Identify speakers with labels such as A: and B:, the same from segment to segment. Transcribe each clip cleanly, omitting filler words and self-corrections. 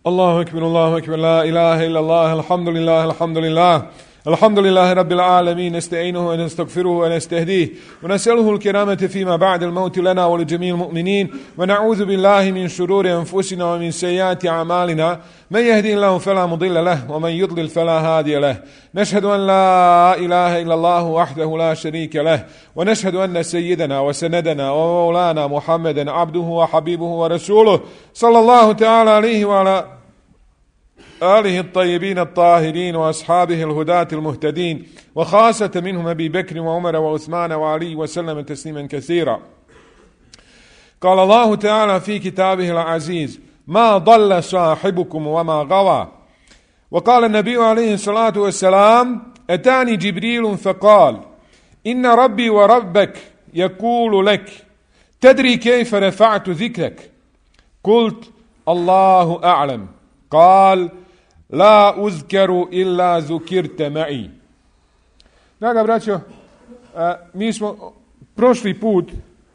A: الله أكبر لا إله إلا الله الحمد لله الحمد لله رب العالمين نستعينه ونستغفره ونستهديه ونسأله الكرامة فيما بعد الموت لنا ولجميع المؤمنين ونعوذ بالله من شرور أنفسنا ومن سيئات أعمالنا من يهدي الله فلا مضل له ومن يضلل فلا هادي له نشهد أن لا إله إلا الله وحده لا شريك له ونشهد أن سيدنا وسندنا ومولانا محمدا عبده وحبيبه ورسوله صلى الله تعالى عليه وعلى آله الطيبين الطاهرين وأصحابه الهداة المهتدين وخاصة منهم أبي بكر وعمر وعثمان وعلي وسلم تسليما كثيرا. قال الله تعالى في كتابه العزيز: ما ضل صاحبكم وما غوى. وقال النبي عليه الصلاة والسلام: أتاني جبريل فقال: إن ربي وربك يقول لك تدري كيف رفعت ذكرك؟ قلت: الله أعلم. قال: la uzkeru illa zukirte ma'i. Draga braćo, mi smo prošli put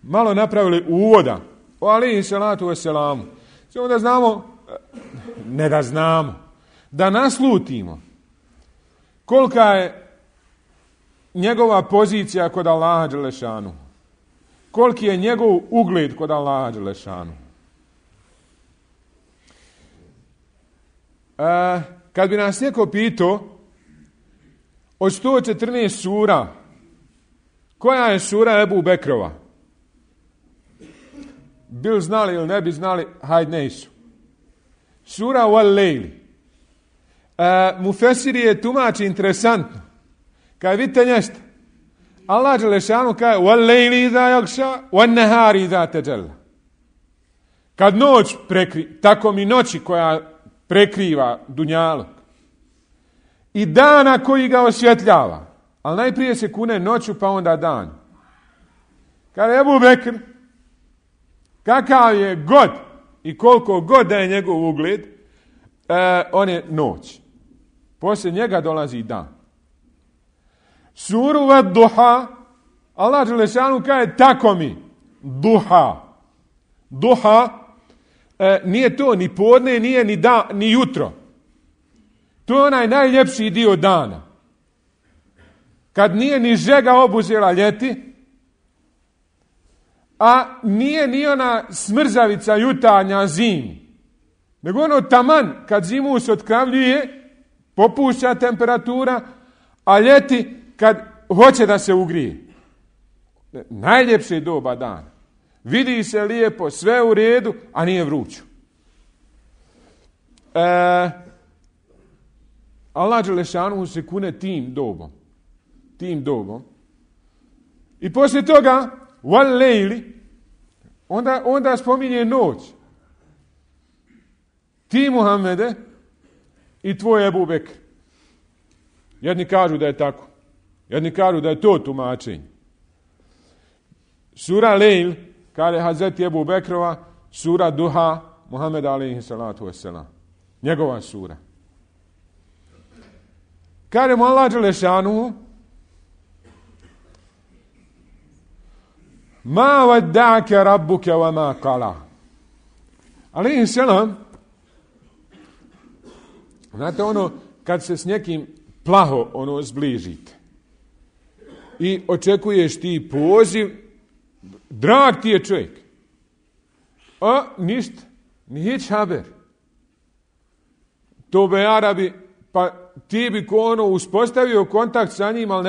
A: malo napravili uvoda o alejhi salatu veselamu. Samo da znamo, ne da znamo, da naslutimo kolika je njegova pozicija kod Allaha dželešanu, koliki je njegov ugled kod Allaha dželešanu. Kad bi nas neko pitao od 114 sura koja je sura Ebu Bekrova, bil znali ili ne bi znali, hajde nesu. Sura Wal Lejli. Mufesiri je tumači interesantno. Kad vidite nešto, Allah dželešanu kaže Wal Lejli iza jakša, Wan nehari iza teđela. Kad noć tako mi noći koja prekriva dunjalog i dana koji ga osvjetljava, ali najprije se kune noću pa onda dan. Kada je Ebu Bekr, kakav je god i koliko god da je njegov ugled, on je noć. Poslije njega dolazi dan. Suru Vad Duha, Allah dželešanu kaže tako mi, duha. Duha nije to ni podne, nije ni jutro. To je onaj najljepši dio dana. Kad nije ni žega obuzela ljeti, a nije ni ona smrzavica jutarnja zimi. Nego ono taman kad zimu se otkravljuje, popušća temperatura, a ljeti kad hoće da se ugrije. Najljepše doba dana. Vidi se lijepo, sve u redu, a nije vruću. Allah dželešanu se kune tim dobom. I poslije toga, Wal Lejli, onda spominje noć. Ti, Muhammede, i tvoj Ebu Bekr. Jedni kažu da je tako. Jedni kažu da je to tumačenje. Sura Lejl, kaže Hazreti Ebu Bekrova, sura Duha, Muhammed alejhi salatu vesselam. Njegova sura. Kaže mu Allah dželešanu: ma wadda'aka rabbuka wa ma qala. Alejhi selam, znate ono kad se s nekim plaho zbližite i očekuješ ti poziv, drag ti je čovjek. A ništa, nić haber. To be Arabi, pa ti bi uspostavio kontakt sa njim, ali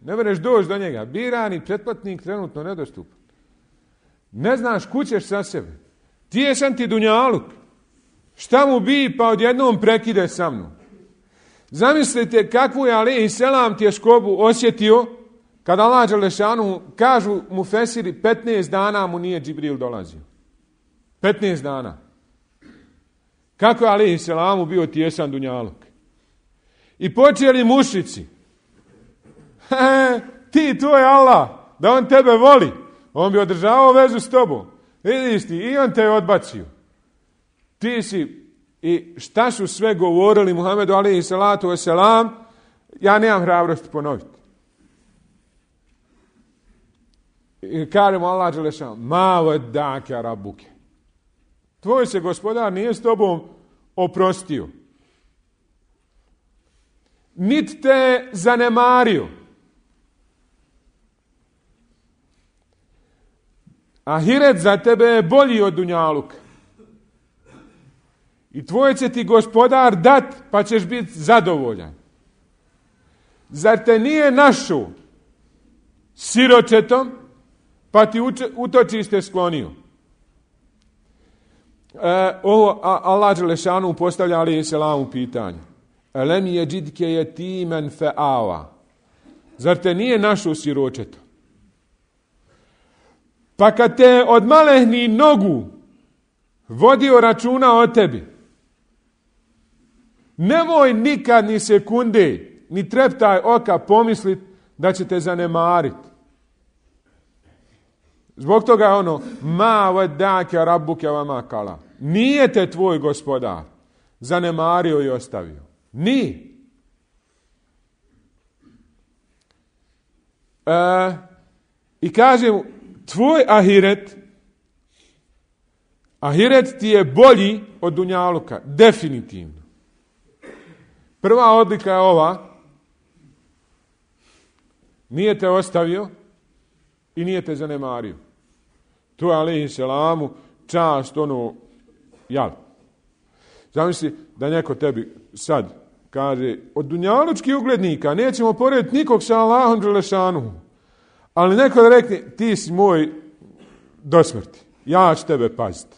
A: ne mereš doći do njega. Birani pretplatnik trenutno nedostupan. Ne znaš kućeš sa sebe. Tijesan ti dunjaluk. Šta mu bi pa odjednom prekide sa mnom. Zamislite kakvu je alejhi selam tjeskobu osjetio kada Allah dželešanu, kažu mufesiri, 15 dana mu nije Džibril dolazio. 15 dana. Kako je alejhi selamu bio tijesan dunjaluk. I počeli mušici. Ti, to je Allah, da on tebe voli. On bi održavao vezu s tobom. Vidiš ti, i on te je odbacio. Ti si, i šta su sve govorili Muhammedu alejhi salatu vesselam, ja nemam hrabrosti ponoviti. I kažemo Allah dželešanu: ma wadda'aka rabbuka. Tvoj se gospodar nije s tobom oprostio. Nit te zanemario. Ahiret za tebe je bolji od dunjaluka. I tvoj će ti gospodar dat, pa ćeš biti zadovoljan. Zar te nije našao siročetom, pa ti utočište sklonio? Ovo Allah dželešanu postavlja alejhi selam pitanje. Elem yedidke yetiman fa'awa. Zar te nije našao siročetom? Pa kad te od malehni nogu vodio računa o tebi, nemoj nikad ni sekunde, ni treptaj oka pomisliti da će te zanemariti. Zbog toga je ma wadda'aka rabbuka wa ma qala. Nije te tvoj gospodar zanemario i ostavio. Nije. I kaže mu, tvoj ahiret ti je bolji od dunjaluka, definitivno. Prva odlika je ova, nije te ostavio i nije te zanemario. To je alejhi selamu čast jel. Zamisli da neko tebi sad kaže, od dunjalučkih uglednika nećemo porediti nikog sa Allahom dželešanu. Ali neko da rekne, ti si moj do smrti, ja ću tebe paziti.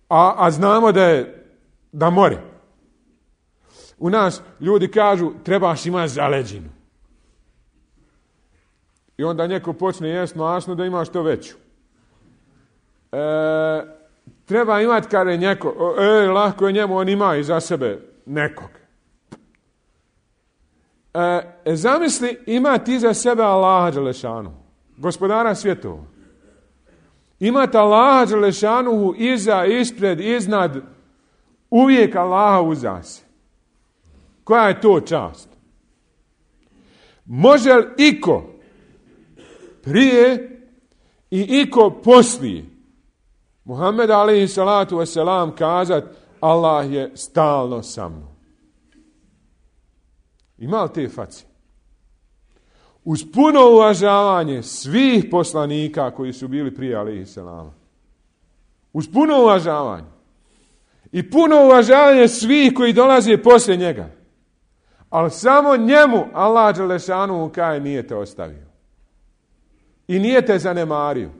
A: A znamo da more. U nas ljudi kažu, trebaš imati zaleđinu. I onda neko počne jesti masno da ima što veću. Treba imati kada je neko, lahko je njemu, on ima iza sebe nekog. Zamisli, imati iza sebe Allaha dželešanu, gospodara svjetova. Imati Allaha dželešanu iza, ispred, iznad, uvijek Allaha uza se. Koja je to čast? Može li iko prije i iko poslije Muhammed alejhi salatu vesselam kazat, Allah je stalno sa mnom? Ima li te face? Uz puno uvažavanje svih poslanika koji su bili prije alejhi selama. Uz puno uvažavanje. I puno uvažavanje svih koji dolaze poslije njega. Ali samo njemu Allah dželešanu kaže, nije te ostavio. I nije te zanemario.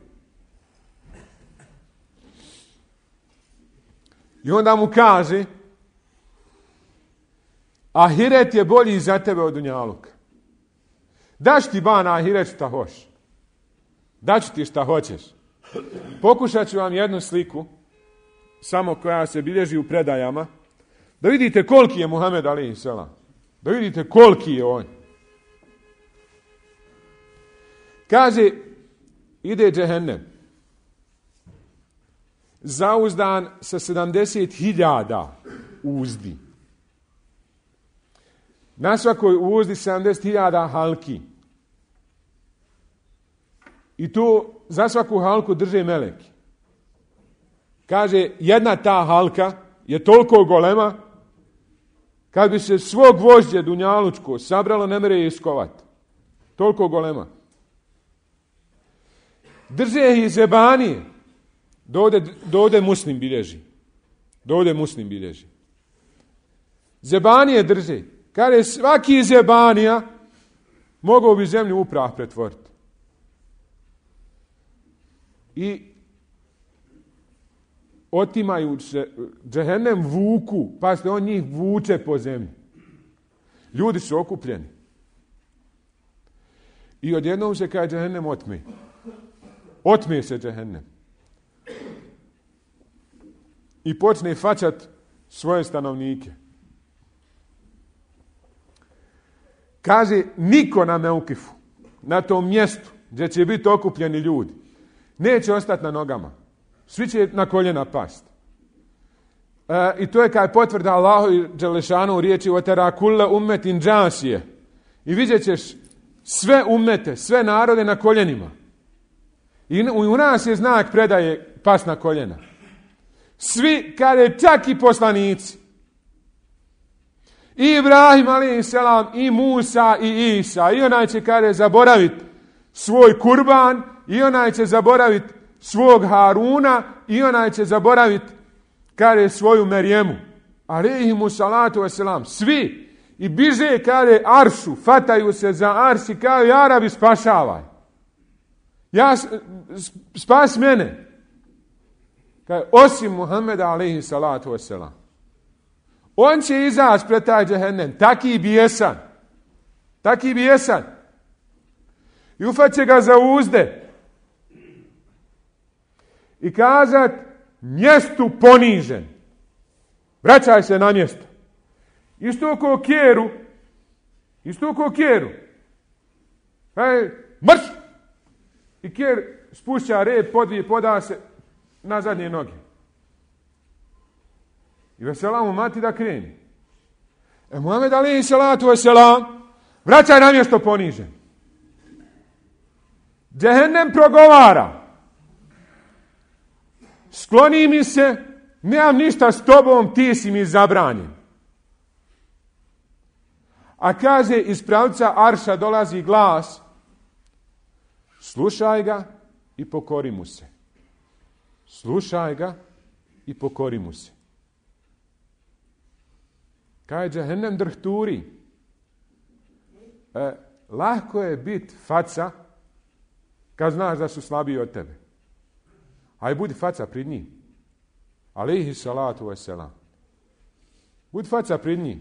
A: I onda mu kaže, ahiret je bolji za tebe od dunjaluka. Daš ti na ahiret šta hoš. Daću ti šta hoćeš. Pokušat ću vam jednu sliku, samo koja se bilježi u predajama, da vidite koliki je Muhammed alejhi selam. Da vidite koliki je on. Kaže, ide džehennem, zauzdan sa 70.000 uzdi. Na svakoj uzdi 70.000 halki. I tu za svaku halku drže meleki. Kaže, jedna ta halka je toliko golema, kad bi se svo gvožđe dunjalučko sabralo, ne mere je iskovati. Toliko golema. Drže ih zebanije. Dovde Muslim bilježi. Dovde Muslim bilježi. Zebanije drže. Kaže, svaki zebanija mogao bi zemlju u prah pretvoriti. I otimaju se, džehennem vuku, pazite, on njih vuče po zemlji. Ljudi su okupljeni. I odjednom se kaže džehennem otme. Otme se džehennem. I počne faćat svoje stanovnike. Kaže, niko na Meukifu, na tom mjestu gdje će biti okupljeni ljudi, neće ostati na nogama. Svi će na koljena pasti. I to je kaj potvrda Allahu i dželešanu u riječi otera kulle ummetin džasije. I vidjet ćeš sve ummete, sve narode na koljenima. I u nas je znak predaje pas na koljena. Svi, kaže, čak i poslanici. I Ibrahim, a.s. i Musa, i Isa. I onaj će, kaže, zaboraviti svoj kurban, i onaj će zaboraviti svog Haruna, i onaj će zaboraviti, kaže, svoju Merijemu. Alejhimu salatu wasalam. Svi. I biže, kaže, aršu, fataju se za arš i kaže, ja Rabi, spašavaj. Spas mene. Kaže, osim Muhammeda, alejhi salatu wasalam. On će izaći pred taj džehennem, taki bijesan. Taki bijesan. I ufat će ga za uzde. I kazat, mjestu ponižen. Vraćaj se na mjesto. Isto ko kjeru. Mrš! I kjer spušća rep, poda se na zadnje noge. I vesela mu mati da kreni. Muhammed alejhi salatu vesselam vraća na mjesto ponižen. Džehennem progovara. Skloni mi se, nemam ništa s tobom, ti si mi zabranjen. A kaže, iz pravca arša dolazi glas, slušaj ga i pokori mu se. Slušaj ga i pokori mu se. Kaže, džehennem drhturi. Lahko je biti faca kad znaš da su slabiji od tebe. Aj budi faca pred njih. Alejhi salatu wasalam. Budi faca pred njih.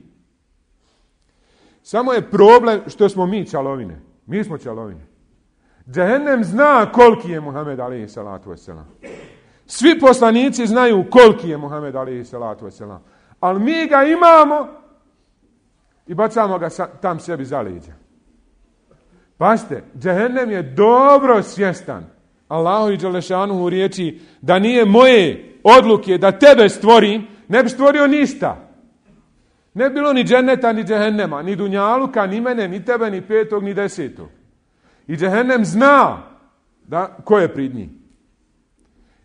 A: Samo je problem što smo mi čalovine. Mi smo čalovine. Džehennem zna koliki je Muhammed alejhi salatu wasalam. Svi poslanici znaju koliki je Muhammed alejhi salatu wasalam. Ali mi ga imamo i bacamo ga tam sebi za leđa. Pazite, džehennem je dobro svjestan Allahu i Đelešanuhu riječi da nije moje odluke da tebe stvorim, ne bi stvorio ništa. Ne bilo ni dženeta, ni džehennema, ni dunjaluka, ni mene, ni tebe, ni petog, ni desetog. I džehennem zna da ko je prid njih.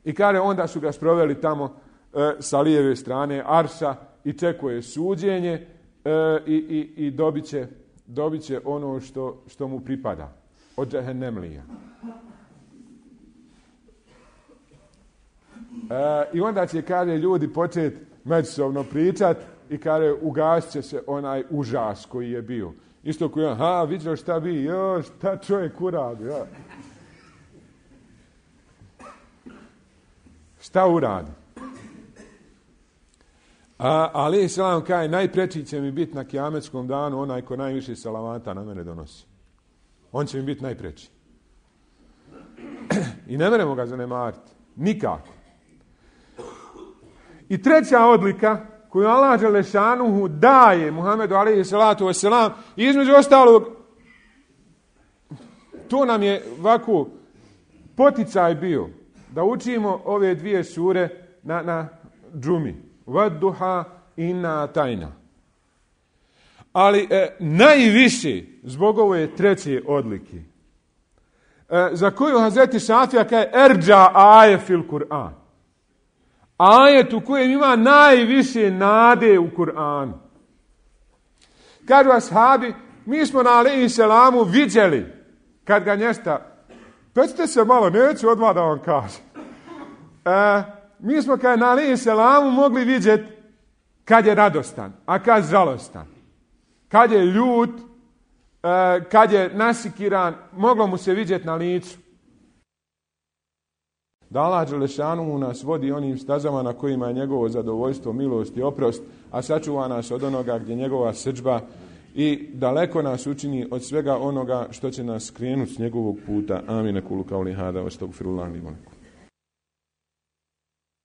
A: I kaže, onda su ga sproveli tamo sa lijeve strane arša i čekuje suđenje i dobit će ono što mu pripada od džehennemlija. I onda će, kaže, ljudi početi međusobno pričat i kaže, ugasit će se onaj užas koji je bio. Isto koji je, vidio šta bi, šta čovjek uradi, Šta uradi? Ali selam kaže, najpreći će mi biti na kijametskom danu onaj ko najviše salavata na mene donosi. On će mi biti najpreći. I ne meremo ga zanemariti. Nikako. I treća odlika koju Allah Đelešanuhu daje Muhammedu alejhi salatu vesselam, između ostalog, to nam je ovako poticaj bio da učimo ove dvije sure na džumi. Vadduha inna tajna. Ali najviše zbog ove treće odlike za koju Hazreti Šafija kaže erđa aje fil Kur'an. Ajet u kojem ima najviše nade u Kur'anu. Kažu ashabi, mi smo na alejhi selamu viđeli kad ga nješta, pecite se malo, neću odmah da vam kažem. Mi smo na alejhi selamu mogli vidjeti kad je radostan, a kad žalostan. Kad je ljut, kad je nasikiran, moglo mu se vidjeti na licu. Da Allah Đelešanuhu nas vodi onim stazama na kojima je njegovo zadovoljstvo, milost i oprost, a sačuva nas od onoga gdje njegova srdžba i daleko nas učini od svega onoga što će nas skrenuti s njegovog puta. Amin. Kulu kauli hada, astagfirullah li wa lakum.